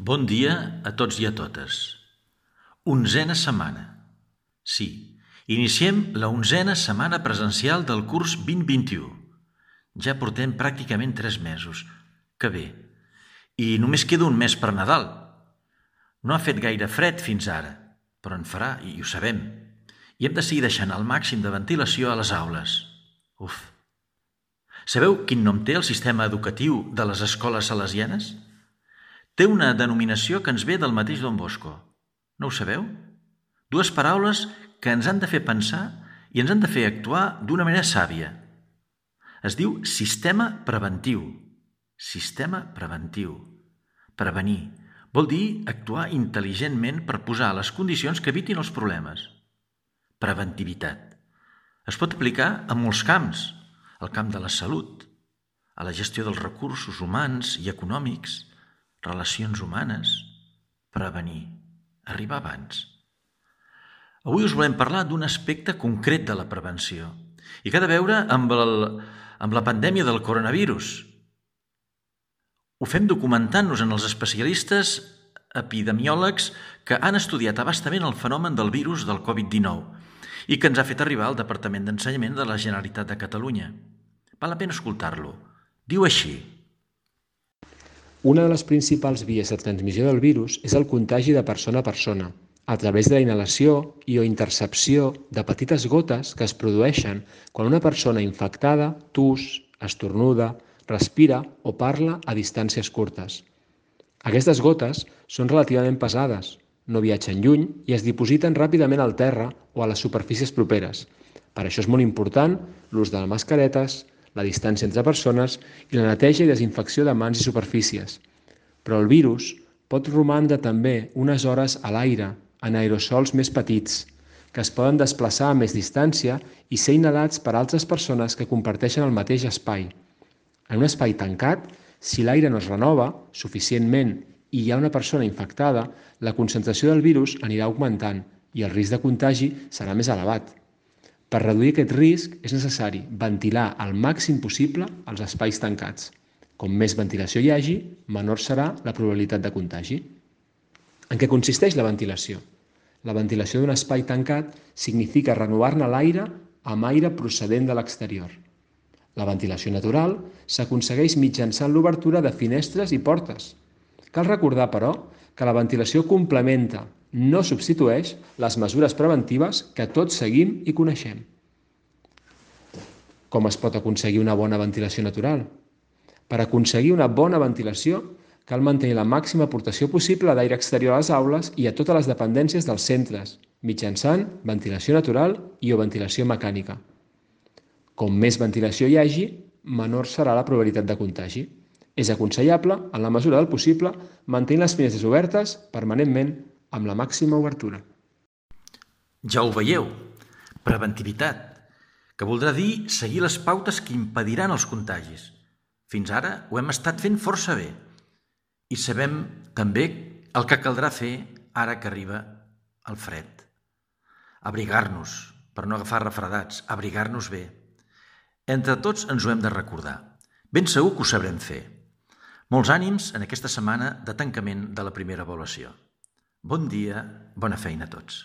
Bon dia a tots i a totes. Onzena setmana. Sí, iniciem la 11a setmana presencial del curs 2021. Ja portem pràcticament 3 mesos. Que bé. I només queda un mes per Nadal. No ha fet gaire fred fins ara, però en farà, i ho sabem. I hem de seguir deixant el màxim de ventilació a les aules. Uf! Sabeu quin nom té el sistema educatiu de les escoles salesianes? Té una denominació que ens ve del mateix Don Bosco. No ho sabeu? 2 paraules que ens han de fer pensar i ens han de fer actuar d'una manera sàvia. Es diu sistema preventiu. Sistema preventiu. Prevenir. Vol dir actuar intel·ligentment per posar les condicions que evitin els problemes. Preventivitat. Es pot aplicar a molts camps. Al camp de la salut, a la gestió dels recursos humans i econòmics, relacions humanes, prevenir, arribar abans. Avui us volem parlar d'un aspecte concret de la prevenció i que ha de veure amb la pandèmia del coronavirus. Ho fem documentant-nos en els especialistes epidemiòlegs que han estudiat a bastament el fenomen del virus del Covid-19 i que ens ha fet arribar al Departament d'Ensenyament de la Generalitat de Catalunya. Val la pena escoltar-lo. Diu així: Una de les principals vies de transmissió del virus és el contagi de persona a persona, a través de la inhalació i o intercepció de petites gotes que es produeixen quan una persona infectada tus, estornuda, respira o parla a distàncies curtes. Aquestes gotes són relativament pesades, no viatgen lluny i es dipositen ràpidament al terra o a les superfícies properes. Per això és molt important l'ús de mascaretes, la distància entre persones i la neteja i desinfecció de mans i superfícies. Però el virus pot romandre també unes hores a l'aire, en aerosols més petits, que es poden desplaçar a més distància i ser inhalats per altres persones que comparteixen el mateix espai. En un espai tancat, si l'aire no es renova suficientment i hi ha una persona infectada, la concentració del virus anirà augmentant i el risc de contagi serà més elevat. Per reduir aquest risc és necessari ventilar al màxim possible els espais tancats. Com més ventilació hi hagi, menor serà la probabilitat de contagi. En què consisteix la ventilació? La ventilació d'un espai tancat significa renovar-ne l'aire amb aire procedent de l'exterior. La ventilació natural s'aconsegueix mitjançant l'obertura de finestres i portes. Cal recordar, però, que la ventilació complementa, no substitueix, les mesures preventives que tots seguim i coneixem. Com es pot aconseguir una bona ventilació natural? Per aconseguir una bona ventilació, cal mantenir la màxima aportació possible d'aire exterior a les aules i a totes les dependències dels centres, mitjançant ventilació natural i o ventilació mecànica. Com més ventilació hi hagi, menor serà la probabilitat de contagi. És aconsellable, en la mesura del possible, mantenir les finestres obertes permanentment amb la màxima obertura. Ja ho veieu, preventivitat, que voldrà dir seguir les pautes que impediran els contagis. Fins ara ho hem estat fent força bé i sabem també el que caldrà fer ara que arriba el fred. Abrigar-nos per no agafar refredats, abrigar-nos bé. Entre tots ens ho hem de recordar. Ben segur que ho sabrem fer. Molts ànims en aquesta setmana de tancament de la primera avaluació. Bon dia, bona feina a tots.